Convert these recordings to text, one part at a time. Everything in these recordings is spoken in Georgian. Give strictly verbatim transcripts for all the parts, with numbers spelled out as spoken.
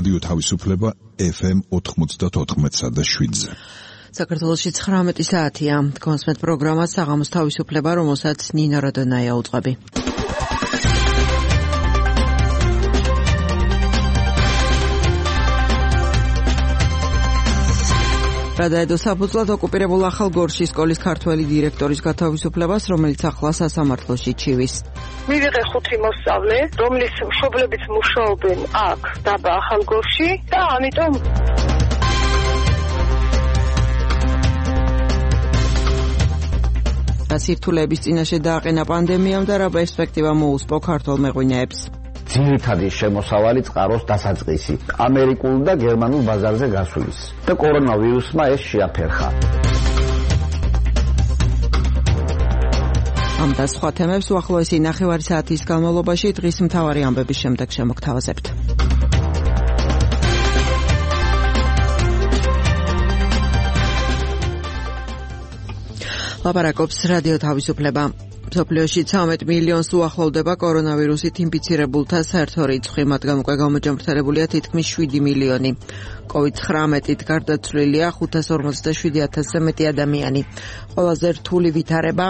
რადიო თავისუფლება ეფ ემ ოთხმოცდათოთხმეტსა და შვიდზე. საქართველოში ცხრამეტი საათია. კონსმეთ პროგრამა საღამოს თავისუფლება, რომელსაც ნინა როდონაია უძღვები. გადაედო საფუძვლად ოკუპირებულ ახალგორში სკოლის ქართველი დირექტორის გათავისუფლებას, რომელიც ახლა სასამართლოში ჩივის. მივიღე ხუთი მოსწავლე, რომლის მშობლებიც მუშაობენ აქ დაბა ახალგორში და ამიტომ გასირთულების წინაშე დააყენა პანდემიამ და რა პერსპექტივა მოუსპო ქართველ მეღვინეებს. ძირითადი შემოსავალი წყაროს დასაწყისი ამერიკულ და გერმანულ ბაზარზე გასulis და კორონავირუსმა ეს შეაფერხა. ამ და სხვა თემებს უახლოესი ნახევარი საათის განმავლობაში დღის მთავარი ამბების შემდეგ შემოგთავაზებთ. ლაპარაკობს რადიო თავისუფლება. მსოფლიოში ცხრამეტ მილიონს უახლოვდება კორონავირუსით ინფიცირებულთა საერთო რიცხვი, მათგან უკვე გამოჯამრთელებულია თითქმის შვიდი მილიონი. კოვიდ ცხრამეტით გარდაცვლილია ხუთას ორმოცდაშვიდი ათასზე მეტი ადამიანი. ყველაზე რთული ვითარება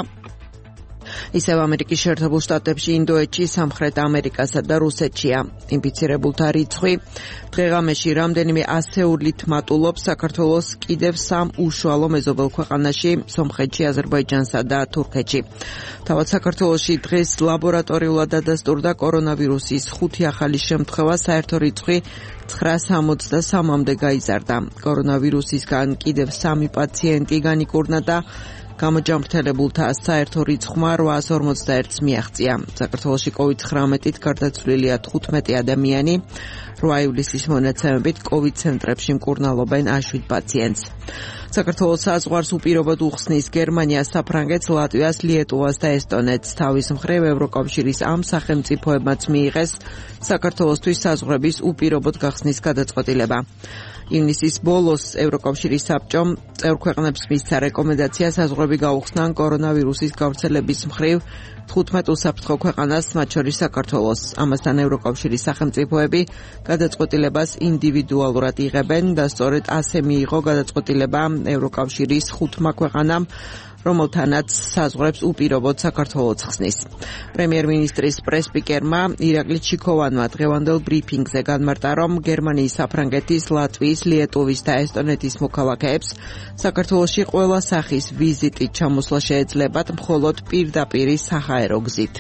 ისევ ამერიკის შეერთებულ შტატებში, ინდოეთში, სამხრეთ ამერიკასა და რუსეთშია. ინფიცირებულთა რიცხვი დღეღამეში რამდენიმე ასეულით მატულობს საქართველოს კიდევ სამ უშუალო მეზობელ ქვეყანაში, სომხეთში, აზერბაიჯანსა და თურქეთში. თავად საქართველოში დღეს ლაბორატორიულად დადასტურდა კორონავირუსის ხუთი ახალი შემთხვევა, საერთო რიცხვი ცხრას ორმოცდასამამდე გაიზარდა. კორონავირუსისგან კიდევ სამი პაციენტი განიკურნა და გამოჯამრთელებულთა საერთო რიცხვმა რვაას ორმოცდაერთს მიაღწია. საქართველოში კოვიდ ცხრამეტით გარდაცვლილია თხუთმეტი ადამიანი, რვა ივლისის მონაცემებით კოვიდ ცენტრებში მკურნალობენ შვიდ პაციენტს. საქართველოს საზღვარს უპირობოდ უხსნის გერმანიას, საფრანგეთს, ლატვიას, ლიეტუვას და ესტონეთს. თავის მხრივ ევროკავშირის ამ სახელმწიფოებმაც მიიღეს საქართველოსთვის საზღვრების უპირობოდ გახსნის გადაწყვეტილება. ივნისის ბოლოს ევროკავშირის საბჭომ წევრ ქვეყნებს მისცა რეკომენდაცია საზღვრები გაუხსნან კორონავირუსის გავრცელების მხრივ თხუთმეტ უსაფრთხო ქვეყანას, მათ შორის საქართველოს. ამასთან ევროკავშირის სახელმწიფოები გადაწყვეტილებას ინდივიდუალურად იღებენ და სწორედ ასე მიიღო გადაწყვეტილება ევროკავშირის ხუთმა ქვეყანამ, რომელთანაც საზღვრებს უპირობოდ საქართველოს ხსნის. პრემიერ-მინისტრის პრესპიკერმა ირაკლი ჩიქოვანმა დღევანდელ ბრიფინგზე განმარტა, რომ გერმანიის, საფრანგეთის, ლატვიის, ლიეტუვის და ესტონეთის მოქალაქეებს საქართველოში ყველა სახის ვიზიტით ჩამოსვლა შეეძლებათ მხოლოდ პირდაპირი საჰაერო გზით.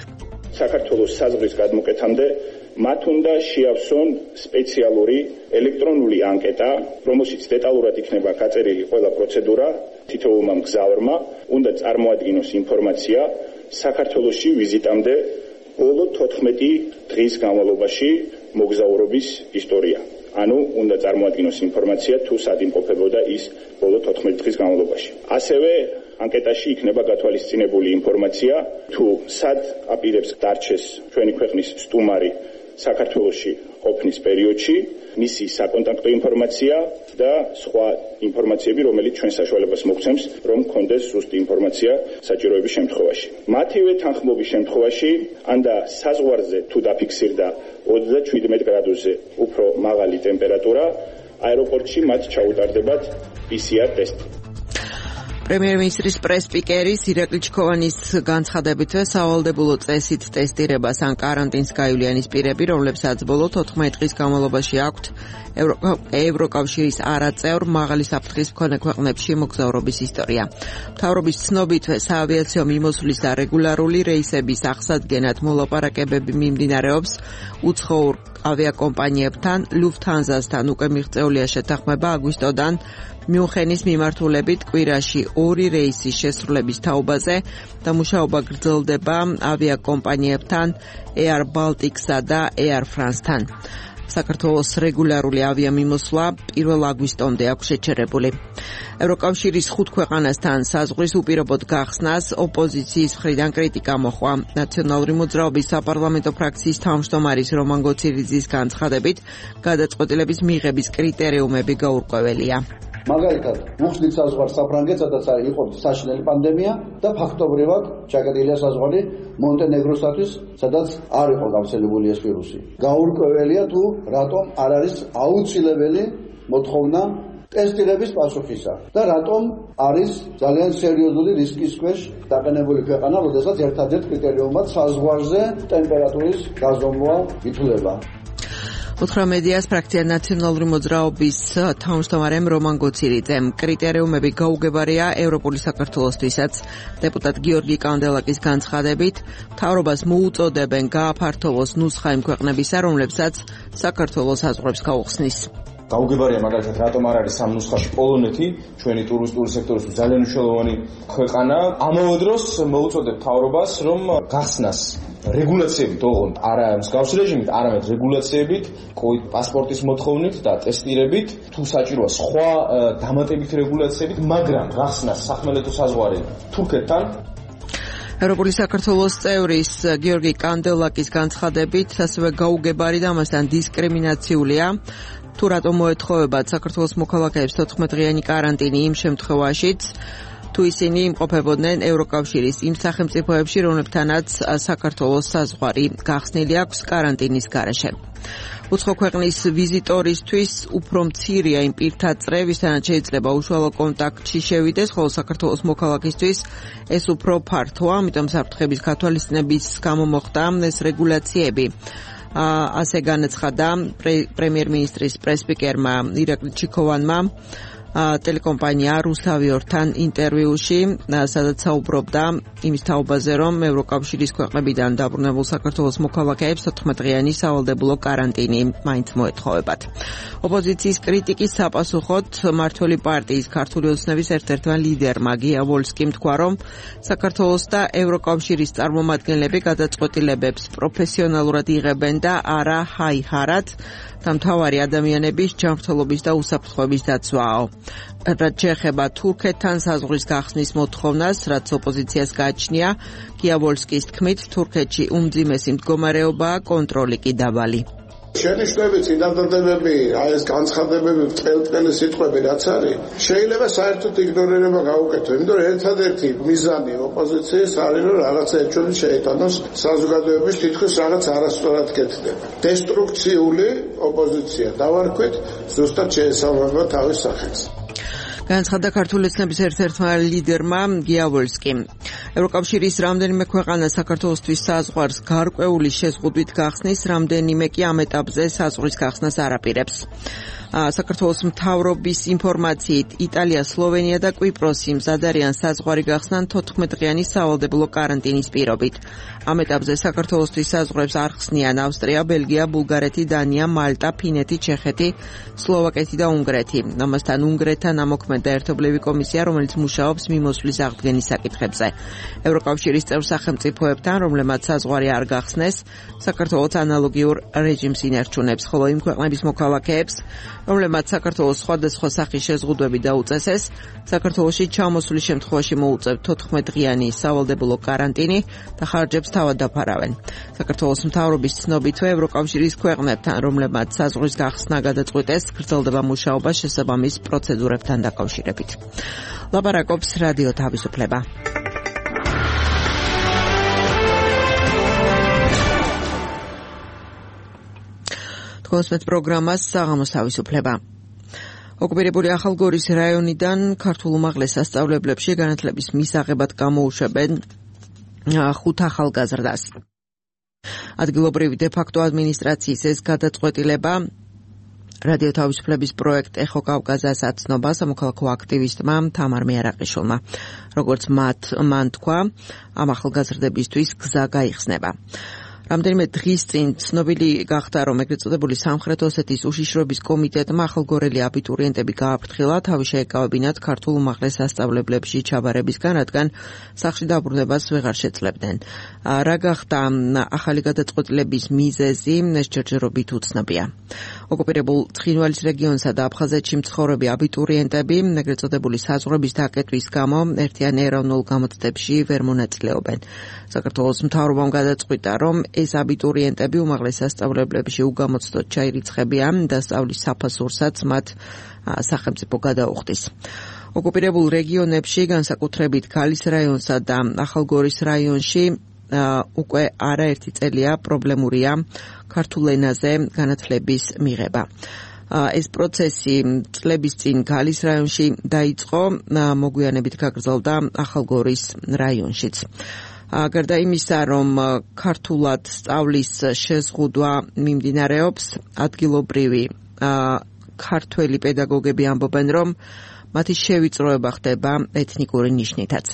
საქართველოს საზღვრის გადმოკეთამდე მათ უნდა შეავსონ სპეციალური ელექტრონული ანკეტა, რომელშიც დეტალურად იქნება გაწერილი ყველა პროცედურა. თითოეულმა მგზავრმა უნდა წარმოადგინოს ინფორმაცია საქართველოში ვიზიტამდე ბოლო თოთხმეტი დღის განმავლობაში მოგზაურობის ისტორია. ანუ უნდა წარმოადგინოს ინფორმაცია თუ სად იმყოფებოდა ის ბოლო თოთხმეტი დღის განმავლობაში. ასევე ანკეტაში იქნება გათვალისწინებული ინფორმაცია თუ სად აპირებს დარჩეს ჩვენი ქვეყნის სტუმარი საქართველოში ყოფნის პერიოდში, მისი საკონტაქტო ინფორმაცია და სხვა ინფორმაციები, რომელიც ჩვენ საშუალებას მოგცემს, რომ გქონდეს ზუსტი ინფორმაცია საჭიროების შემთხვევაში. მათივე თანხმობის შემთხვევაში, ანდა საზღვარზე თუ დაფიქსირდა ოცდაშვიდ გრადუსზე უფრო მაღალი ტემპერატურა, აეროპორტში მათ ჩაუტარდებათ პი სი არ ტესტი. პრემიერ-მინისტრის პრესპიკერის ირაკლი ჩიქოვანის განცხადებით, სავალდებულო წესით ტესტირებას ან კარანტინს გაივლიანის პირები, რომლებსაც ბოლო თოთხმეტი დღის განმავლობაში აქვთ ევროკავშირის არაწევრ მაღალი საფრთხის მქონე ქვეყნებში მოგზაურობის ისტორია. მთავრობის ცნობით, საავიაციო მიმოსვლის და რეგულარული რეისების აღსადგენად მოლაპარაკებები მიმდინარეობს უცხოურ ავიაკომპანიებთან, ლუფთანზასთან უკვე მიღწეულია შეთანხმება აგვისტოდან მიუნხენის მიმართულებით კვირაში ორი რეისის შესრულების თაობაზე და მუშაობა გრძელდება ავიაკომპანიებთან Air Baltic-სა და Air France-თან. საქართველოს რეგულარული ავიამიმოსვლა პირველ აგვისტომდე აქვს შეჩერებული. ევროკავშირის ხუთ ქვეყანასთან საზღვრის უპირობოდ გახსნას ოპოზიციის მხრიდან კრიტიკა მოჰყვა. ნაციონალური მოძრაობის საპარლამენტო ფრაქციის თავმჯდომარის რომან გოცირიძის განცხადებით, გადაწყვეტილების მიღების კრიტერიუმები გაურკვეველია. მაგალითად, უხსნით საზღვარს საფრანგეთს, სადაც იყო საშინელი პანდემია და ფაქტობრივად ჩაკეტილია საზღვარი მონტენეგროსათვის, სადაც არ იყო გავრცელებული ეს ვირუსი. გაურკვეველია თუ რატომ არ არის აუცილებელი მოთხოვნა ტესტირების პასუხისა და რატომ არის ძალიან სერიოზული რისკის ქვეშ დაყენებული ქვეყანა, როდესაც ერთადერთ კრიტერიუმად საზღვარზე ტემპერატურის გაზომვა ითვლება. უთხრა მედიას ფრაქცია ნაციონალური მოძრაობის თავმჯდომარემ რომან გოცირიძემ. კრიტერიუმები გაუგებარია ევროპული საქართველოსთვისაც. დეპუტატ გიორგი კანდელაკის განცხადებით, მთავრობას მოუწოდებენ გააფართოვოს ნუსხა იმ ქვეყნებისა, რომლებსაც საქართველოს საზღვრებს გაუხსნის. გაუგებარია მაგალითად რატომ არ არის ამ ნუსხაში პოლონეთი, ჩვენი ტურისტული სექტორისთვის ძალიან მნიშვნელოვანი ქვეყანა. ამავე დროს მოუწოდებ მთავრობას, რომ გახსნას რეგულაციებით, ოღონდ არა მსგავსი რეჟიმით, არამედ რეგულაციებით, კოვიდ პასპორტის მოთხოვნით და ტესტირებით, თუ საჭიროა სხვა დამატებითი რეგულაციებით, მაგრამ გახსნას სახმელეთო საზღვარი თურქეთთან. ევროპული საქართველოს წევრის გიორგი კანდელაკის განცხადებით, ასევე გაუგებარი და ამასთან დისკრიმინაციულია. თუ რატომ მოეთხოვებათ საქართველოს მოქალაქეებს თოთხმეტდღიანი კარანტინი იმ შემთხვევაშიც, თუ ისინი იმყოფებოდნენ ევროკავშირის იმ სახელმწიფოებში, რომლებთანაც საქართველოს საზღვარი გახსნილი აქვს კარანტინის გარეშე. უცხო ქვეყნის ვიზიტორისთვის უფრო მცირეა იმ პირთა წრე, ვისთანაც შეიძლება უშუალო კონტაქტში შევიდეს, ხოლო საქართველოს მოქალაქისთვის ეს უფრო ფართოა, ამიტომ საფრთხების გათვალისწინების გამო მოხდა ეს რეგულაციები. ასე განაცხადა პრემიერ-მინისტრის პრესპიკერმა ირაკლი ჩიქოვანმა ტელეკომპანია რუსავიორთან ინტერვიუში, სადაც საუბრობდა იმის თაობაზე, რომ ევროკავშირის ქვეყნებიდან დაბრუნებულ საქართველოს მოქალაქეებს თოთხმეტდღიანი სავალდებულო კარანტინი მაინც მოეთხოვებათ. ოპოზიციის კრიტიკის საპასუხოდ მმართველი პარტიის ქართული ოცნების ერთ-ერთმა ლიდერმა გია ვოლსკიმ თქვა, რომ საქართველოს და ევროკავშირის წარმომადგენლები გადაწყვეტილებებს პროფესიონალურად იღებენ და არა ჰაი-ჰარად და მთავარი ადამიანების ჯანმრთელობის და უსაფრთხოების დაცვაო. რაც შეეხება თურქეთთან საზღვრის გახსნის მოთხოვნას, რაც ოპოზიციას გააჩნია, გია ვოლსკის თქმით, თურქეთში უმძიმესი მდგომარეობაა, კონტროლი კი დაბალი. შენიშვნები, წინადადებები, აი ეს განცხადებები, წელწელი სიტყვები რაც არის, შეიძლება საერთოდ იგნორირება გაუკეთო, იმიტომ რომ ერთადერთი მიზანი ოპოზიციის არის, რომ რაღაცა ერთჩვენი შეიტანოს საზოგადოების თითქოს რაღაც არასწორად კეთდება. დესტრუქციული ოპოზიცია დავარქვით, ზუსტად შეესაბამება თავის სახელს. განაცხადა ქართული ოცნების ერთ-ერთმა ლიდერმა გია ვოლსკიმ. ევროკავშირის რამდენიმე ქვეყანა საქართველოსთვის საზღვარს გარკვეული შეზღუდვით გახსნის, რამდენიმე კი ამ ეტაპზე საზღვრის გახსნას არ აპირებს. საქართველოს მთავრობის ინფორმაციით, იტალია, სლოვენია და კვიპროსი მზად არიან საზღვარი გახსნან თოთხმეტდღიანი სავალდებულო კარანტინის პირობით. ამ ეტაპზე საქართველოსთვის საზღვრებს არ ხსნიან ავსტრია, ბელგია, ბულგარეთი, დანია, მალტა, ფინეთი, ჩეხეთი, სლოვაკეთი და უნგრეთი. ამასთან უნგრეთთან ამოქმედა ერთობლივი კომისია, რომელიც მუშაობს მიმოსვლის აღდგენის საკითხებზე. ევროკავშირის წევრ სახელმწიფოებთან, რომლებმაც საზღვარი არ გახსნეს, საქართველოს ანალოგიურ რეჟიმს ინარჩუნებს, ხოლო იმ ქვეყნების მოქალაქეებს, რომლებმაც საქართველოს სხვადასხვა სახის შეზღუდვები დაუწესეს, საქართველოში ჩამოსვლის შემთხვევაში მოუწევთ თოთხმეტდღიანი სავალდებულო კარანტინი და ხარჯებს თავად დაფარავენ. საქართველოს მთავრობის ცნობითვე ევროკავშირის ქვეყნებთან, რომლებმაც საზღვრის გახსნა გადაწყვიტეს, გრძელდება მუშაობა შესაბამის პროცედურებთან დაკავშირებით. ლაპარაკობს რადიო თავისუფლება. კონსპეთ პროგრამას საღამოს თავისუფლება. ოკუპირებული ახალგორის რაიონიდან ქართულ უმაღლეს სასწავლებლებში განათლების მისაღებად გამოუშვებენ ხუთ ახალგაზრდას. ადგილობრივი დე-ფაქტო ადმინისტრაციის ეს გადაწყვეტილება რადიო თავისუფლების პროექტ ეხო კავკაზას აცნობა სამოქალაქო აქტივისტმა თამარ მეარაყიშვილმა. როგორც მათ მან თქვა, ამ ახალგაზრდებისთვის გზა გაიხსნება. რამდენიმე დღის წინ ცნობილი გახდა, რომ ეგრეთ წოდებული სამხრეთ ოსეთის უშიშროების კომიტეტმა ახალგორელი აბიტურიენტები გააფრთხილა, თავი შეეკავებინათ ქართულ უმაღლეს სასწავლებლებში ჩაბარებისგან, რადგან სახლში დაბრუნებას ვეღარ შეძლებდნენ. რა გახდა ახალი გადაწყვეტილების მიზეზი, ეს ჯერჯერობით უცნობია. ოკუპირებულ ცხინვალის რეგიონსა და აფხაზეთში მცხოვრები აბიტურიენტები ეგრეთ წოდებული საზღვრების დაკეტვის გამო ერთიან ეროვნულ გამოცდებში ვერ მონაწილეობენ. საქართველოს მთავრობამ გადაწყვიტა, რომ ეს აბიტურიენტები უმაღლეს სასწავლებლებში უგამოცდოდ ჩაირიცხებიან და სწავლის საფასურსაც მათ სახელმწიფო გადაუხდის. ოკუპირებულ რეგიონებში, განსაკუთრებით ქალის რაიონსა და ახალგორის რაიონში უკვე არაერთი წელია პრობლემურია ქართულ ენაზე განათლების მიღება. ეს პროცესი წლების წინ ქალის რაიონში დაიწყო, მოგვიანებით გაგრძელდა ახალგორის რაიონშიც. გარდა იმისა, რომ ქართულად სწავლის შეზღუდვა მიმდინარეობს, ადგილობრივი ქართველი პედაგოგები ამბობენ, რომ მათი შევიწროება ხდება ეთნიკური ნიშნითაც.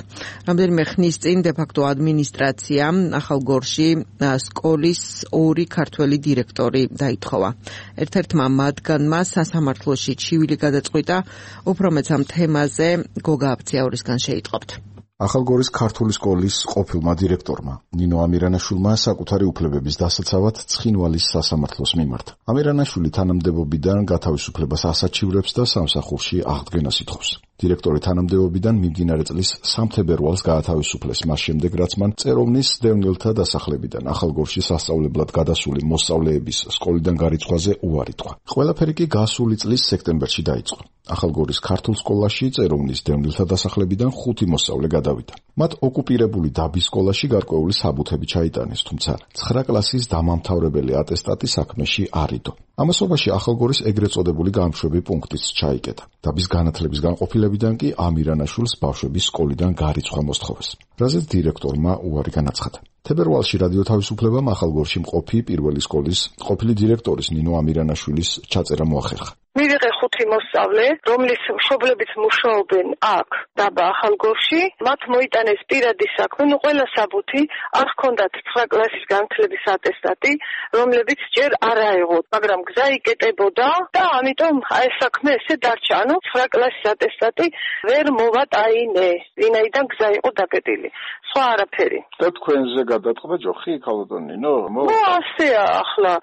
რამდენიმე ხნის წინ დე-ფაქტო ადმინისტრაციამ ახალგორში სკოლის ორი ქართველი დირექტორი დაითხოვა. ერთ-ერთმა მათგანმა სასამართლოში ჩივილი გადაწყვიტა, უფრო მეც ამ თემაზე გოგა აფციაურისგან შეიტყობთ. ახალგორის ქართული სკოლის ყოფილმა დირექტორმა ნინო ამირანაშვილმა საკუთარი უფლებების დასაცავად ცხინვალის სასამართლოს მიმართა. ამირანაშვილი თანამდებობიდან გათავისუფლებას ასაჩივრებს და სამსახურში აღდგენას ითხოვს. დირექტორი თანამდებობიდან მიმდინარე წლის სამი თებერვალს გაათავისუფლეს, მას შემდეგ რაც მან წეროვნის დევნილთა დასახლებიდან ახალგორში სასწავლებლად გადასული მოსწავლეების სკოლიდან გარიცხვაზე უარი თქვა. ყველაფერი კი გასული წლის სექტემბერში დაიწყო. ახალგორის ქართულ სკოლაში წეროვნის დევნილთა დასახლებიდან ხუთი მოსწავლე გადავიდა. მათ ოკუპირებული დაბის სკოლაში გარკვეული საბუთები ჩაიტანეს, თუმცა ცხრა კლასის დამამთავრებელი ატესტატი საქმეში არ იდო. ამასობაში ახალგორის ეგრეთ წოდებული გამშვები პუნქტიც ჩაიკეტა. დაბის განათლების განყოფილებიდან კი ამირანაშვილს ბავშვების სკოლიდან გარიცხვა მოსთხოვეს, რაზეც დირექტორმა უარი განაცხადა. თებერვალში რადიო თავისუფლებამ ახალგორში მყოფი პირველი სკოლის ყოფილი დირექტორის ნინო ამირანაშვილის ჩაწერა მოახერხა. მივიღე ხუთი მოსწავლე, რომლის მშობლებიც მუშაობენ აქ დაბა ახალგორში, მათ მოიტანეს პირადი საქმე, ნუ ყველა საბუთი, არ ჰქონდათ ცხრა კლასის განათლების ატესტატი, რომლებიც ჯერ არ აეღოთ, მაგრამ გზა იკეტებოდა და ამიტომ აი საქმე ესე დარჩა. ანუ ცხრა კლასის ატესტატი ვერ მოვატაინე, ვინაიდან გზა იყო დაკეტილი. სხვა არაფერი. და თქვენზე გადაწყდა ჯოხი ქალბატონინო? ნუ ასეა ახლა.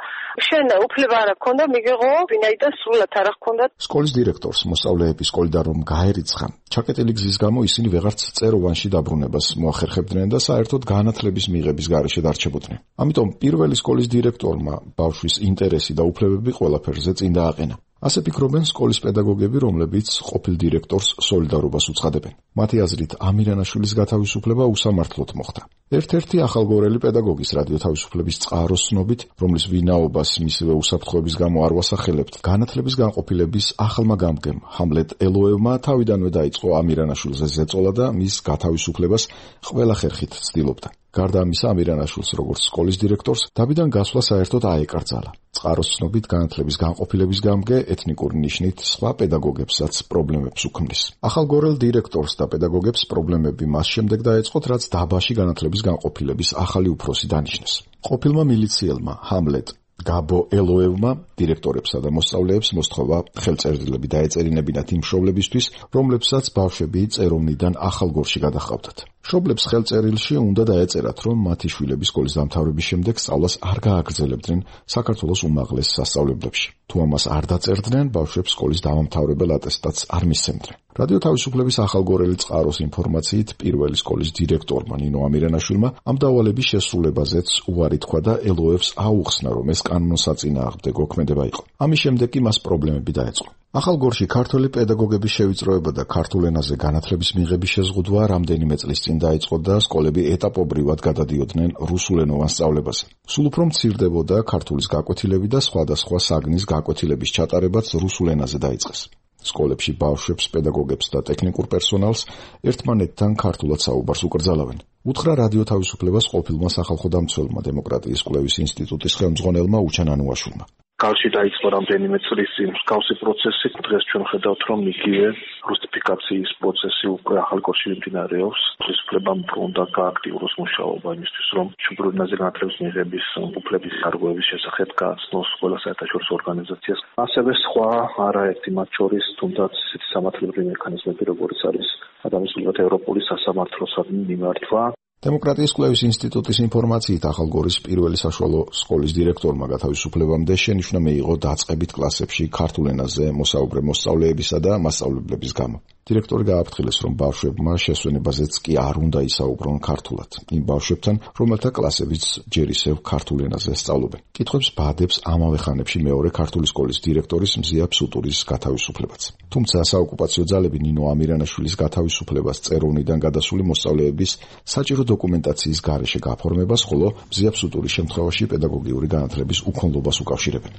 შენ უფლება არ აქვს, მიგეღო, ვინაიდან სრულად არ აქვს. სკოლის დირექტორს მოსწავლეების სკოლიდან რომ გაერიცხა, ჩაკეტილი გზის გამო ისინი ვეღარც წეროვანში დაბრუნებას მოახერხებდნენ და საერთოდ განათლების მიღების გარეშე დარჩებოდნენ. ამიტომ პირველი სკოლის დირექტორმა ბავშვის ინტერესი და უფლებები ყველაფერზე წინ დააყენა. ასე ფიქრობენ სკოლის პედაგოგები, რომლებიც ყოფილ დირექტორს სოლიდარობას უცხადებენ. მათი აზრით, ამირანაშვილის გათავისუფლება უსამართლოდ მოხდა. ერთ-ერთი ახალგორელი პედაგოგის რადიო თავისუფლების წყაროს ცნობით, რომლის ვინაობას მისივე უსაფრთხოების გამო არ ვასახელებთ, განათლების განყოფილების ახალმა გამგემ ჰამლეტ ელოევმა თავიდანვე დაიწყო ამირანაშვილზე ზეწოლა და მის გათავისუფლებას ყველა ხერხით ცდილობდა. გარდა ამისა, ამირანაშვილს როგორც სკოლის დირექტორს დაბიდან გასვლა საერთოდ აეკრძალა. წყაროს ცნობით განათლების განყოფილების გამგე ეთნიკური ნიშნით სხვა პედაგოგებსაც პრობლემებს უქმნის. ახალგორელ დირექტორს და პედაგოგებს პრობლემები მას შემდეგ დაეწყოთ, რაც დაბაში განათლების განყოფილების ახალი უფროსი დანიშნეს. ყოფილმა მილიციელმა ჰამლეტ გაბო ელოევმა დირექტორებსა და მოსწავლეებს მოსთხოვა ხელწერილები დაეწერინებინათ იმ მშობლებისთვის, რომლებსაც ბავშვები წეროვნიდან ახალგორში გადაჰყავდათ. მშობლებს ხელწერილში უნდა დაეწერათ, რომ მათი შვილები სკოლის დამთავრების შემდეგ სწავლას არ გააგრძელებდნენ საქართველოს უმაღლეს სასწავლებლებში. თუ ამას არ დაწერდნენ, ბავშვებს სკოლის დამამთავრებელ ატესტატს არ მისცემდნენ. რადიო თავისუფლების ახალგორელი წყაროს ინფორმაციით, პირველი სკოლის დირექტორმა ნინო ამირანაშვილმა ამ დავალების შესრულებაზეც უარი თქვა და ელოევს აუხსნა, რომ ეს კანონსაწინააღმდეგო ქმედება იყო. ამის შემდეგ კი მას პრობლემები დაეწყო. ახალგორში ქართველი პედაგოგების შევიწროება და ქართულ ენაზე განათლების მიღების შეზღუდვა რამდენიმე წლის წინ დაიწყო და სკოლები ეტაპობრივად გადადიოდნენ რუსულენოვან სწავლებაზე. სულ უფრო მცირდებოდა ქართულის გაკვეთილები და სხვადასხვა საგნის გაკვეთილების ჩატარებაც რუსულ ენაზე დაიწყეს. სკოლებში ბავშვებს, პედაგოგებს და ტექნიკურ პერსონალს ერთმანეთთან ქართულად საუბარს უკრძალავენ. უთხრა რადიო თავისუფლებას ყოფილმა სახალხო დამცველმა დემოკრატიის კვლევის ინსტიტუტის ხელმძღვანელმა უჩან ანუაშვილმა. კავშირი დაიწყო რამდენიმე წლის წინ მსგავსი პროცესი. დღეს ჩვენ ხედავთ, რომ იგივე რუსიფიკაციის პროცესი უკვე ახალგორში მიმდინარეობს. ხელისუფლებამ უნდა გააქტიუროს მუშაობა იმისთვის, რომ მშობლიურ ენაზე განათლების მიღების უფლების გარღვევის შესახებ გააცნოს ყველა საერთაშორისო ორგანიზაციას. ასევე სხვა არაერთი მათ შორის თუნდაც ისეთი სამართლებრივი მექანიზმები, როგორც არის ადამიანის ევროპული სასამართლოსადმი მიმართვა. დემოკრატიის კვლევის ინსტიტუტის ინფორმაციით, ახალგორის პირველი საშუალო სკოლის დირექტორმა გათავისუფლებამდე შენიშვნა მიიღო დაწყებით კლასებში ქართულ ენაზე მოსაუბრე მოსწავლეებისა და მასწავლებლების გამო. დირექტორი გააფრთხილეს, რომ ბავშვებმა შესვენებაზეც კი არ უნდა ისაუბრონ ქართულად. იმ ბავშვებთან, რომელთა კლასებიც ჯერ ისევ ქართულ ენაზე სწავლობენ. კითხვებს ბადებს ამავე ხანებში მეორე ქართული სკოლის დირექტორის მზია ფსუტურის გათავისუფლებაც. თუმცა საოკუპაციო ძალები ნინო ამირანაშვილის გათავისუფლებას წეროვნიდან გადასული მოსწავლეების საჭირო დოკუმენტაციის გარეშე გაფორმებას, ხოლო მზია ფსუტურის შემთხვევაში პედაგოგიური განათლების უქონლობას უკავშირებენ.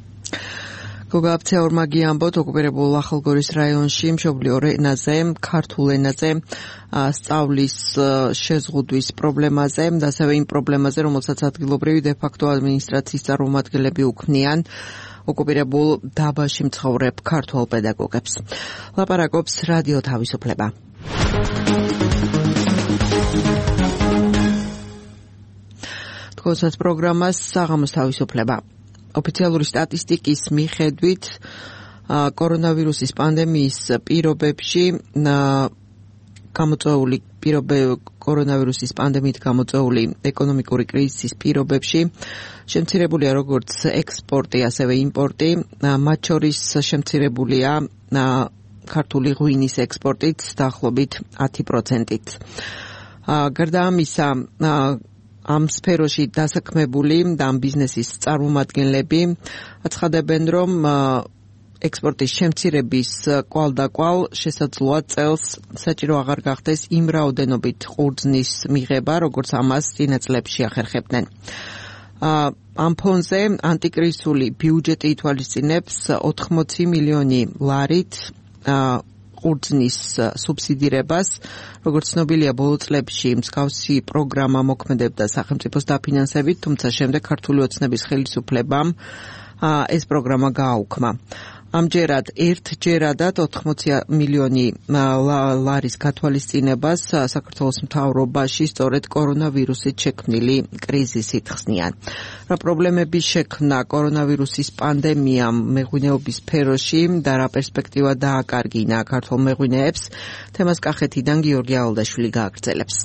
გოგა აფცეორმაგი ამბობთ, ოკუპირებულ ახალგორის რაიონში მშობლიურ ენაზე, ქართულ ენაზე სწავლის შეზღუდვის პრობლემაზე და ასევე იმ პრობლემაზე, რომელსაც ადგილობრივი დე-ფაქტო ადმინისტრაციის წარმომადგენლები უქმნიან ოკუპირებულ დაბაში მცხოვრებ ქართველ პედაგოგებს. ლაპარაკობს რადიო თავისუფლება. თქოსას პროგრამას საღამოს თავისუფლება. ოფიციალური სტატისტიკის მიხედვით კორონავირუსის პანდემიის პირობებში გამოწვეული პირობები კორონავირუსის პანდემიით გამოწვეული ეკონომიკური კრიზისის პირობებში შემცირებულია როგორც ექსპორტი, ასევე იმპორტი, მათ შორის შემცირებულია ქართული ღვინის ექსპორტით დაახლოებით ათი პროცენტით. გარდა ამისა, ამ სფეროში დასაქმებული და ამ ბიზნესის წარმომადგენლები აცხადებენ, რომ ექსპორტის შემცირების კვალდაკვალ შესაძლოა წელს საჭირო აღარ გახდეს იმ რაოდენობით ყურძნის მიღება, როგორც ამას წინა წლებში ახერხებდნენ. ამ ფონზე ანტიკრიზისული ბიუჯეტი ითვალისწინებს ოთხმოცი მილიონი ლარით ყურძნის სუბსიდირებას. როგორც ცნობილია, ბოლო წლებში მსგავსი პროგრამა მოქმედებდა სახელმწიფოს დაფინანსებით, თუმცა შემდეგ ქართული ოცნების ხელისუფლებამ ეს პროგრამა გააუქმა. ამჯერად ერთჯერადად ოთხმოცი მილიონი ლარის გათვალისწინებას საქართველოს მთავრობაში სწორედ კორონავირუსით შექმნილი კრიზისით ხსნიან. რა პრობლემები შექმნა კორონავირუსის პანდემიამ მეღვინეობის სფეროში და რა პერსპექტივა დააკარგინა ქართულ მეღვინეებს, თემას კახეთიდან გიორგი ალდაშვილი გააგრძელებს.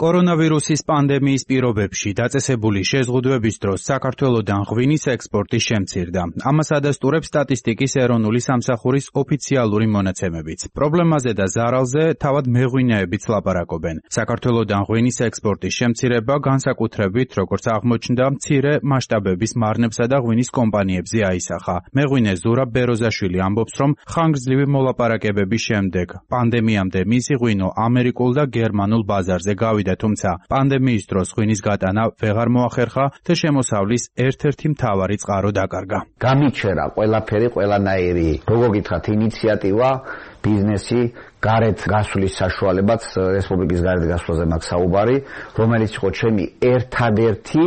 კორონავირუსის პანდემიის პირობებში დაწესებული შეზღუდვების დროს საქართველოდან ღვინის ექსპორტი შემცირდა. ამას ადასტურებს სტატისტიკის ეროვნული სამსახურის ოფიციალური მონაცემებიც. პრობლემაზე და ზარალზე თავად მეღვინეებიც ლაპარაკობენ. საქართველოდან ღვინის ექსპორტის შემცირება განსაკუთრებით, როგორც აღმოჩნდა, მცირე მასშტაბების მარნებსა და ღვინის კომპანიებზე აისახა. მეღვინე ზურაბ ბეროზაშვილი ამბობს, რომ ხანგრძლივი მოლაპარაკებების შემდეგ პანდემიამდე მისი ღვინო ამერიკულ და გერმანულ ბაზარზე გავიდა. თუმცა პანდემიის დროს ღვინის გატანა ვეღარ მოახერხა და შემოსავლის ერთ-ერთი მთავარი წყარო დაკარგა. გამიჩერა ყველაფერი, ყველანაირი, როგორ გითხრათ, ინიციატივა, ბიზნესი, გარეთ გასვლის საშუალებაც, რესპუბლიკის გარეთ გასვლაზე მაქვს საუბარი, რომელიც იყო ჩემი ერთადერთი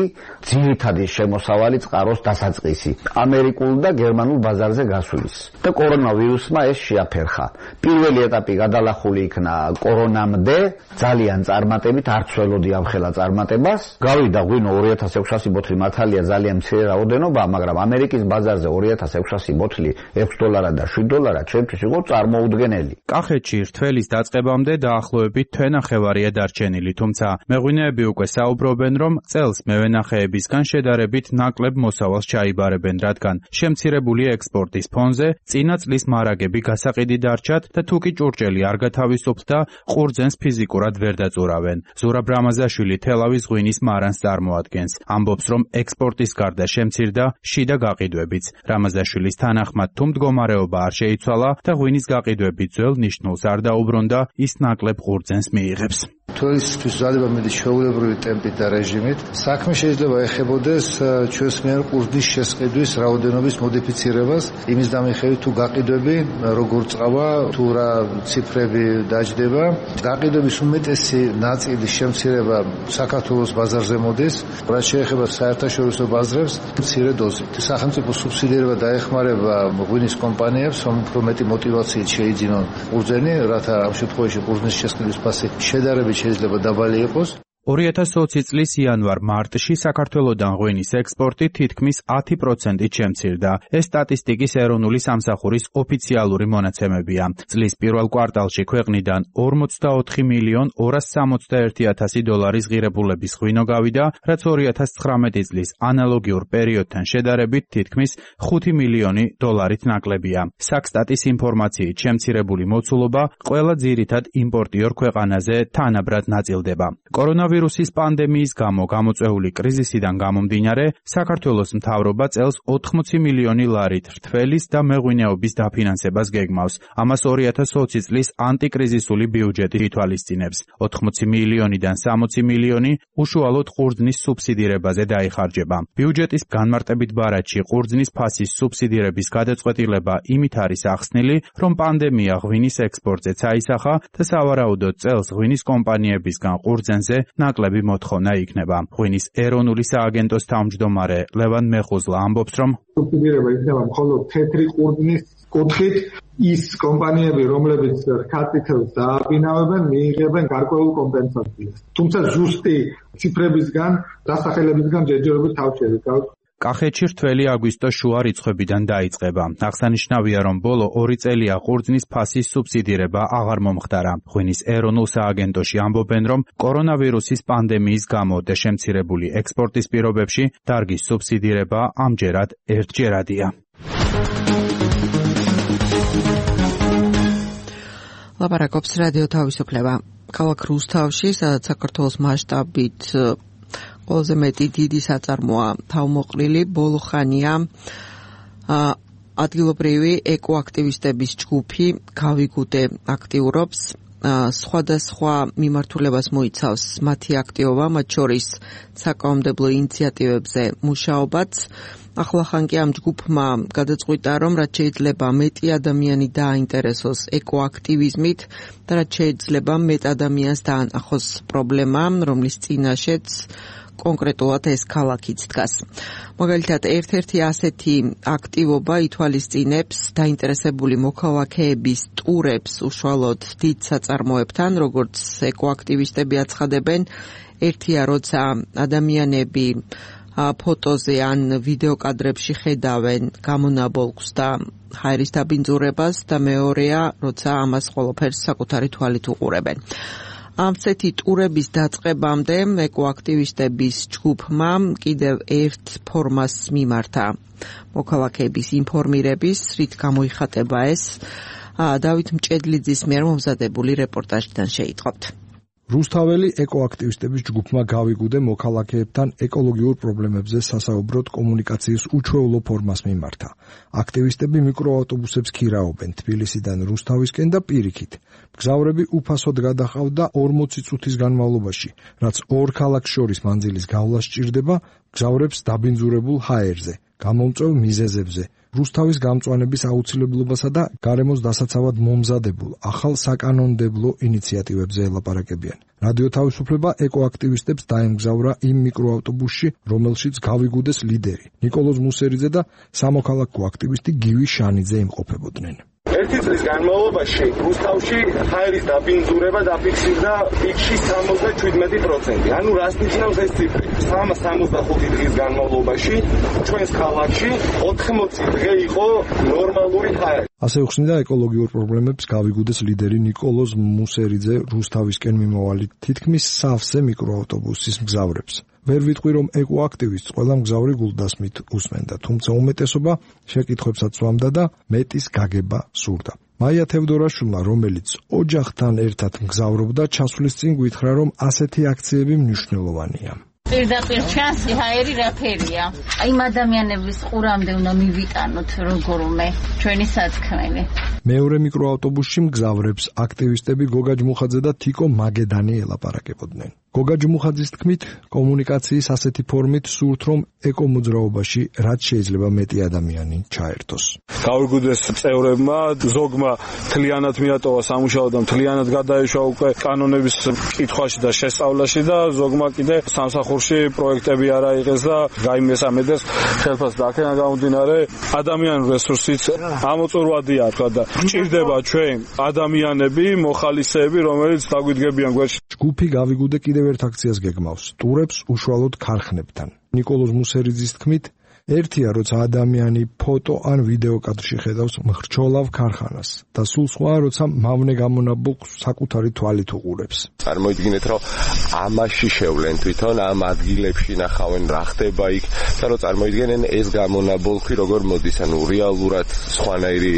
ძირითადი შემოსავალი წყაროს დასაწყისი, ამერიკულ და გერმანულ ბაზარზე გასვლის. და კორონავირუსმა ეს შეაფერხა. პირველი ეტაპი გადალახული იქნა კორონამდე, ძალიან წარმატებით, არც ველოდი ამხელა წარმატებას. გავიდა ღვინო ორი ათას ექვსასი ბოთლი, მართალია ძალიან მცირე რაოდენობა, მაგრამ ამერიკის ბაზარზე ორი ათას ექვსასი ბოთლი ექვს დოლარად და შვიდ დოლარად ჩემთვის იყო წარმოუდგენელი. კახეთში რთველის დაწყებამდე დაახლოებით თვენახევარია დარჩენილი, თუმცა მეღვინეები უკვე საუბრობენ, რომ წელს მევენახეებისგან შედარებით ნაკლებ მოსავალს ჩაიბარებენ, რადგან შემცირებული ექსპორტის ფონზე წინა წლის მარაგები გასაყიდი დარჩათ და თუკი ჭურჭელი არ გათავისუფლდა, ყურძენს ფიზიკურად ვერ დაწურავენ. ზურაბ რამაზაშვილი თელავის ღვინის მარანს წარმოადგენს. ამბობს, რომ ექსპორტის გარდა შემცირდა შიდა გაყიდვებიც. რამაზაშვილის თანახმად, თუ მდგომარეობა არ შეიცვალა და ღვინის გაყიდვები ძველ ნიშნულს არ დაუბრუნდა, ის ნაკლებ ყურძენს მიიღებს. თვალისთვის ძალება მეტი ჩვეულებრივი ტემპით და რეჟიმით. საქმე შეიძლება ეხებოდეს ჩვენს მიერ ყურძნის შესყიდვის რაოდენობის მოდიფიცირებას, იმის დამიხევით თუ გაყიდვები როგორ წავა, თუ რა ციფრები დაჯდება. გაყიდვების უმეტესი ნაწილის შემცირება საქართველოს ბაზარზე მოდის, რაც შეეხება საერთაშორისო ბაზრებს, მცირე დოზით. სახელმწიფო სუბსიდირება დაეხმარება ღვინის კომპანიებს, რომ უფრო მეტი მოტივაციით შეიძინონ ყურძენი, რათა ამ შემთხვევაში ყურძნის შესყიდვის ფასი შედარებით შეიძლება დაბალი იყოს. ორი ათას ოცი წლის იანვარ-მარტში საქართველოდან ღვინის ექსპორტი თითქმის ათი პროცენტით შემცირდა. ეს სტატისტიკის ეროვნული სამსახურის ოფიციალური მონაცემებია. წლის პირველ კვარტალში ქვეყნიდან ორმოცდაოთხი მილიონ ორას სამოცდაერთი ათასი დოლარის ღირებულების ღვინო გავიდა, რაც ორი ათას ცხრამეტი წლის ანალოგიურ პერიოდთან შედარებით თითქმის ხუთი მილიონი დოლარით ნაკლებია. საქსტატის ინფორმაციით შემცირებული მოცულობა ყველა ძირითად იმპორტიორ ქვეყანაზე თანაბრად ნაწილდება. კორონავირუსის პანდემიის გამო გამოწვეული კრიზისიდან გამომდინარე, საქართველოს მთავრობა წელს ოთხმოცი მილიონი ლარით რთველის და მეღვინეობის დაფინანსებას გეგმავს. ამას ორი ათას ოცი წლის ანტიკრიზისული ბიუჯეტი ითვალისწინებს. ოთხმოცი მილიონიდან სამოცი მილიონი უშუალოდ ყურძნის სუბსიდირებაზე დაიხარჯება. ბიუჯეტის განმარტებით ბარათში ყურძნის ფასის სუბსიდირების გადაწყვეტილება იმით არის ახსნილი, რომ პანდემია ღვინის ექსპორტზეც აისახა და სავარაუდოდ წელს ღვინის კომპანიებისგან ყურძენზე ნაკლები მოთხოვნა იქნება. ღვინის ეროვნული სააგენტოს თავმჯდომარე ლევან მეხუზლა ამბობს, რომ სუბსიდირება იქნება მხოლოდ თეთრი ყურძნის კუთხით, ის კომპანიები, რომლებიც რქატითელს დააბინავებენ, მიიღებენ გარკვეულ კომპენსაციას. თუმცა ზუსტი ციფრებისგან, დასახელებისგან ჯერჯერობით თავს შევიკავთ. კახეთში რთველი აგვისტოს შუა რიცხვებიდან დაიწყება. აღსანიშნავია, რომ ბოლო ორი წელია ყურძნის ფასის სუბსიდირება აღარ მომხდარა. ღვინის ეროვნულ სააგენტოში ამბობენ, რომ კორონავირუსის პანდემიის გამო და შემცირებული ექსპორტის პირობებში დარგის სუბსიდირება ამჯერად ერთჯერადია. ლაპარაკობს რადიო თავისუფლება. ქალაქ რუსთავში, სადაც საქართველოს მასშტაბით ყველაზე მეტი დიდი საწარმოა თავმოყრილი, ბოლო ხანია ადგილობრივი ეკოაქტივისტების ჯგუფი გავიგუდე აქტიურობს. სხვადასხვა მიმართულებას მოიცავს მათი აქტივობა, მათ შორის საკანონმდებლო ინიციატივებზე მუშაობაც. ახლახან კი ამ ჯგუფმა გადაწყვიტა, რომ რაც შეიძლება მეტი ადამიანი დააინტერესოს ეკოაქტივიზმით და რაც შეიძლება მეტ ადამიანს დაანახოს პრობლემა, რომლის წინაშეც კონკრეტულად ეს ქალაქიც დგას. მაგალითად, ერთ-ერთი ასეთი აქტივობა ითვალისწინებს დაინტერესებული მოქალაქეების ტურებს უშუალოდ დიდ საწარმოებთან, როგორც ეკოაქტივისტები აცხადებენ, ერთია როცა ადამიანები ფოტოზე ან ვიდეო კადრებში ხედავენ გამონაბოლქვს და ჰაერის დაბინძურებას და მეორეა, როცა ამას ყველაფერს საკუთარი თვალით უყურებენ. ამცეთი ტურების დაწყებამდე ეკოაქტივისტების ჯგუფმა კიდევ ერთ ფორმას მიმართა მოქალაქეების ინფორმირების, რით გამოიხატება ეს. დავით მჭედლიძის მიერ მომზადებული რეპორტაჟიდან შეიტყობთ. რუსთაველი ეკოაქტივისტების ჯგუფმა გავიგუდე მოქალაქეებთან ეკოლოგიურ პრობლემებზე სასაუბროდ კომუნიკაციის უჩვეულო ფორმას მიმართა. აქტივისტები მიკროავტობუსებს ქირაობენ თბილისიდან რუსთავისკენ და პირიქით. მგზავრები უფასოდ გადაჰყავდა ორმოცი წუთის განმავლობაში, რაც ორ ქალაქს შორის მანძილის გავლა სჭირდება მგზავრებს დაბინძურებულ ჰაერზე, გამომწვევ მიზეზებზე, რუსთავის გამწვანების აუცილებლობასა და გარემოს დასაცავად მომზადებულ ახალ საკანონმდებლო ინიციატივებზე ელაპარაკებიან. რადიო თავისუფლება ეკოაქტივისტებს დაემგზავრა იმ მიკროავტობუსში, რომელშიც გავიგუდეს ლიდერი ნიკოლოზ მუსერიძე და სამოქალაქო აქტივისტი გივი შანიძე იმყოფებოდნენ. ერთი წლის განმავლობაში რუსთავში ჰაერის დაბინძურება დაფიქსირდა პიკში სამოცდაშვიდმეტი პროცენტი. ანუ რას ნიშნავს ეს ციფრი? სამოცდახუთი დღის განმავლობაში ჩვენს ქალაქში ოთხმოცი დღე იყო ნორმალური ჰაერი. ასე უხსნიდა ეკოლოგიურ პრობლემებს გავიგუდეს ლიდერი ნიკოლოზ მუსერიძე რუსთავისკენ მიმავალი თითქმის სავსე მიკროავტობუსის მგზავრებს. ვერ ვიტყვი, რომ ეკოაქტივისტს ყველა მგზავრი გულდასმით უსმენდა, თუმცა უმეტესობა შეკითხვებსაც სვამდა და მეტის გაგება სურდა. მაია თევდორაშვილმა, რომელიც ოჯახთან ერთად მგზავრობდა, ჩასვლის წინ გითხრა, რომ ასეთი აქციები მნიშვნელოვანია. პირდაპირ ჩანს ჰაერი რა ფერია. აი იმ ადამიანების ყურამდე უნდა მივიტანოთ როგორმე ჩვენი სათქმელი. მეორე მიკროავტობუსში მგზავრებს აქტივისტები გოგა ჯმუხაძე და თიკო მაგედანი ელაპარაკებოდნენ. გოგა ჯმუხაძის თქმით, კომუნიკაციის ასეთი ფორმით სურთ, რომ ეკომოძრაობაში რაც შეიძლება მეტი ადამიანი ჩაერთოს. გავიგუდეს წევრებმა, ზოგმა თლიანად მიატოვა სამუშაო და თლიანად გადაეშვა უკვე კანონების კითხვაში და შესწავლაში და ზოგმა კიდე სამსახურში პროექტები არ აიღეს და გაიმესამედეს ხელფასს და აქედან გამომდინარე ადამიანური რესურსიც ამოწურვადია თქვა და გჭირდება ჩვენ ადამიანები, მოხალისეები, რომელიც დაგვიდგებიან გვერდში. ჯგუფი გავიგუდე კიდევ კიდევ ერთ აქციას გეგმავს, ტურებს უშუალოდ ქარხნებთან. ნიკოლოზ მუსერიძის თქმით, ერთია, როცა ადამიანი ფოტო ან ვიდეო კადრში ხედავს მხრჩოლავ ქარხანას და სულ სხვაა, როცა მავნე გამონაბოლქვს საკუთარი თვალით უყურებს. წარმოიდგინეთ, რომ ამაში შევლენ თვითონ ამ ადგილებში ნახავენ რა ხდება იქ და რომ წარმოიდგენენ ეს გამონაბოლქვი როგორ მოდის, ანუ რეალურად სხვანაირი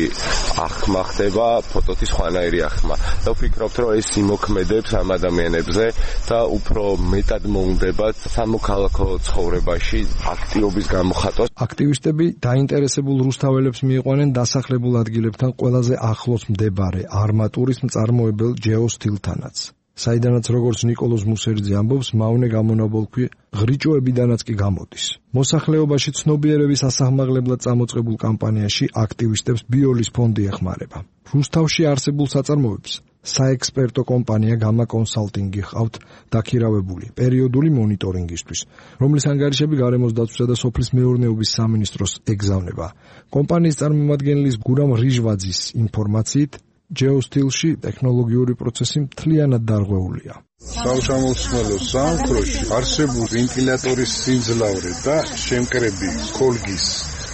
ახმა ხდება, ფოტოთი სხვანაირი ახმა. და ვფიქრობთ, რომ ეს იმოქმედებს ამ ადამიანებზე და უფრო მეტად მოუნდებათ სამოქალაქო ცხოვრებაში აქტიობის გამოხატვა. აქტივისტები დაინტერესებულ რუსთაველებს მიიყვანენ დასახლებულ ადგილებთან ყველაზე ახლოს მდებარე არმატურის მწარმოებელ ჯეოსტილთანაც. საიდანაც როგორც ნიკოლოზ მუსერიძე ამბობს, მავნე გამონაბოლქვი ღრიჭოებიდანაც კი გამოდის. მოსახლეობაში ცნობიერების ასაღმაღლებლად წამოწყებულ კამპანიაში აქტივისტებს ბიოლის ფონდი ეხმარება. რუსთავში არსებულ საწარმოებს საექსპერტო კომპანია გამა კონსალტინგი ჰყავთ დაქირავებული პერიოდული მონიტორინგისთვის, რომლის ანგარიშები გარემოს დაცვისა და სოფლის მეურნეობის სამინისტროს ეგზავნება. კომპანიის წარმომადგენლის გურამ რიჟვაძის ინფორმაციით, ჯეოსტილში ტექნოლოგიური პროცესი მთლიანად დარღვეულია. სამშამოსმელო სამყაროში არსებულ ვენტილატორის სიმძლავრე და შემკრები კოლგის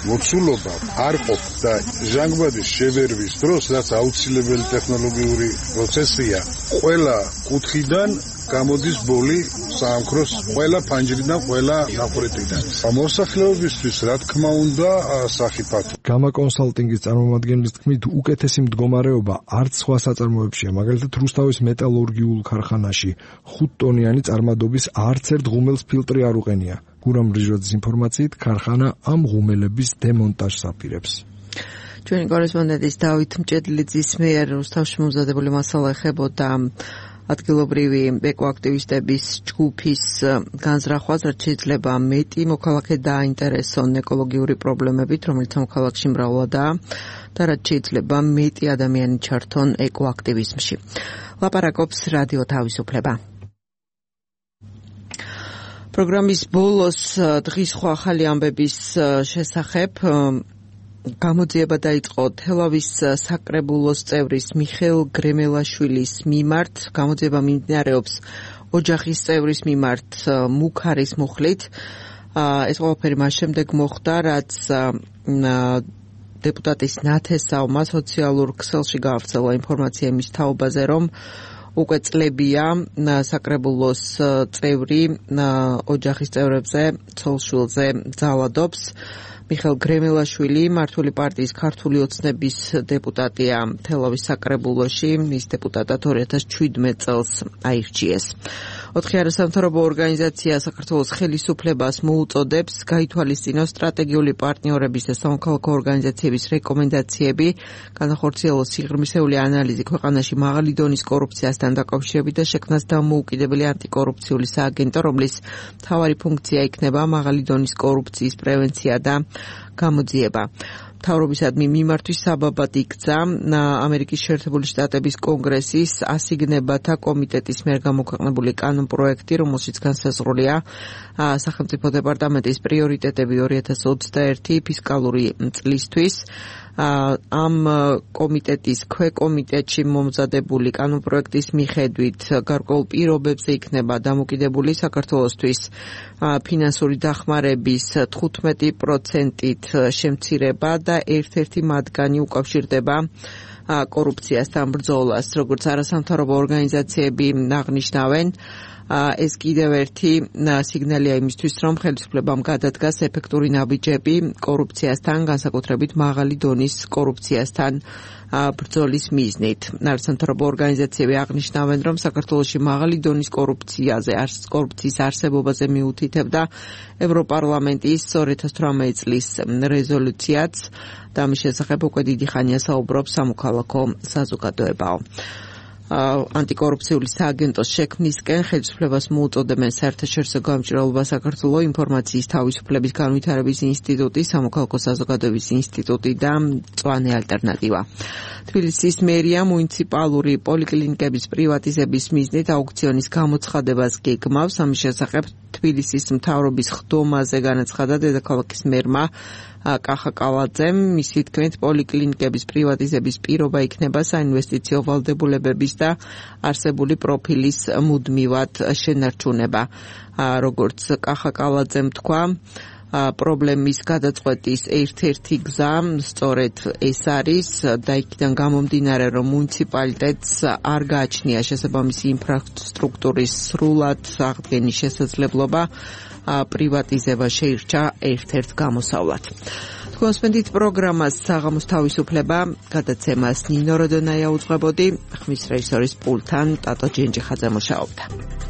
მოცულობა არ ყოფ და ჟანგბადის შევერვის დროს, რაც აუცილებელი ტექნოლოგიური პროცესია, ყველა კუთხიდან გამოდის ბოლი სამყაროს, ყველა ფანჯრიდან, ყველა ნაყურეთიდან. მოსახლეობისთვის, რა თქმა უნდა, სახიფათო. გამა კონსალტინგის წარმომადგენლის თქმით, უკეთესი მდგომარეობა არც სხვა საწარმოებშია, მაგალითად რუსთავის მეტალურგიულ ქარხანაში ხუთტონიანი წარმადობის არც ერთ ღუმელს ფილტრი არ უყენია. გურამ რიჟვაძის ინფორმაციით, ქარხანა ამ ღუმელების დემონტაჟს აპირებს. ჩვენი კორესპონდენტის დავით მჭედლიძის მიერ რუსთავში მომზადებული მასალა ეხებოდა ადგილობრივი ეკოაქტივისტების ჯგუფის განზრახვას, რაც შეიძლება მეტი მოქალაქე დააინტერესონ ეკოლოგიური პრობლემებით, რომელიც ამ ქალაქში მრავლადაა და რაც შეიძლება მეტი ადამიანი ჩართონ ეკოაქტივიზმში. ლაპარაკობს რადიო თავისუფლება. პროგრამის ბოლოს დღის სხვა ახალი ამბების შესახებ გამოძიება დაიწყო თელავის საკრებულოს წევრის მიხეილ გრემელაშვილის მიმართ. გამოძიება მიმდინარეობს ოჯახის წევრის მიმართ მუქარის მუხლით. ეს ყველაფერი მას შემდეგ მოხდა, რაც დეპუტატის ნათესავმა სოციალურ ქსელში გაავრცელა ინფორმაცია იმის თაობაზე, რომ უკვე წლებია საკრებულოს წევრი ოჯახის წევრებზე ცოლ-შვილზე ძალადობს. მიხეილ გრემელაშვილი მართული პარტიის ქართული ოცნების დეპუტატია თელავის საკრებულოში, ის დეპუტატად ორი ათას ჩვიდმეტ წელს აირჩიეს. ოთხი არასამთავრობო ორგანიზაცია საქართველოს ხელისუფლებას მოუწოდებს გაითვალისწინოს სტრატეგიული პარტნიორების და სამოქალაქო ორგანიზაციების რეკომენდაციები, განახორციელოს სიღრმისეული ანალიზი ქვეყანაში მაღალი დონის კორუფციასთან დაკავშირებით და შექმნას დამოუკიდებელი ანტიკორუფციული სააგენტო, რომლის მთავარი ფუნქცია იქნება მაღალი დონის კორუფციის პრევენცია და გამოძიება. მთავრობისადმი მიმართვის საბაბად იქცა ამერიკის შეერთებული შტატების კონგრესის ასიგნებათა კომიტეტის მიერ გამოქვეყნებული კანონპროექტი, რომელშიც განსაზღვრულია სახელმწიფო დეპარტამენტის პრიორიტეტები ორი ათას ოცდაერთი ფისკალური წლისთვის. ამ კომიტეტის ქვეკომიტეტში მომზადებული კანონპროექტის მიხედვით გარკვეულ პირობებზე იქნება დამოკიდებული საქართველოსთვის ფინანსური დახმარების თხუთმეტი პროცენტით შემცირება და ერთ-ერთი მათგანი უკავშირდება კორუფციასთან ბრძოლას. როგორც არასამთავრობო ორგანიზაციები აღნიშნავენ, ეს კიდევ ერთი სიგნალია იმისთვის, რომ ხელისუფლებამ გადადგას ეფექტური ნაბიჯები კორუფციასთან, განსაკუთრებით მაღალი დონის კორუფციასთან ბრძოლის მიზნით. არასამთავრობო ორგანიზაციები აღნიშნავენ, რომ საქართველოში მაღალი დონის კორუფციაზე, კორუფციის არსებობაზე მიუთითებდა ევროპარლამენტის ორი ათას თვრამეტი წლის რეზოლუციაც და ამის შესახებ უკვე დიდი ხანია საუბრობს სამოქალაქო საზოგადოებაო. ანტიკორუფციული სააგენტოს შექმნისკენ ხელისუფლებას მოუწოდებენ საერთაშორისო გამჭირვალობა საქართველოს ინფორმაციის თავისუფლების განვითარების ინსტიტუტი, სამოქალაქო საზოგადოების ინსტიტუტი და მწვანე ალტერნატივა. თბილისის მერია მუნიციპალური პოლიკლინიკების პრივატიზების მიზნით აუქციონის გამოცხადებას გეგმავს. ამის შესახებ თბილისის მთავრობის ხდომაზე განაცხადა დედაქალაქის მერმა კახა კალაძემ. მისი თქმით, პოლიკლინიკების პრივატიზების პირობა იქნება საინვესტიციო ვალდებულებების და არსებული პროფილის მუდმივად შენარჩუნება. როგორც კახა კალაძემ თქვა, პრობლემის გადაწყვეტის ერთ-ერთი გზა სწორედ ეს არის და იქიდან გამომდინარე, რომ მუნიციპალიტეტს არ გააჩნია შესაბამისი ინფრასტრუქტურის სრულად აღდგენის შესაძლებლობა, პრივატიზება შეირჩა ერთ-ერთ გამოსავლად. თქვენსმენდით პროგრამას საღამოს თავისუფლება, გადაცემას ნინო როდონაია უძღვებოდი, ხმის რეჟისორის პულტთან ტატო ჯენჯიხაძე მუშაობდა.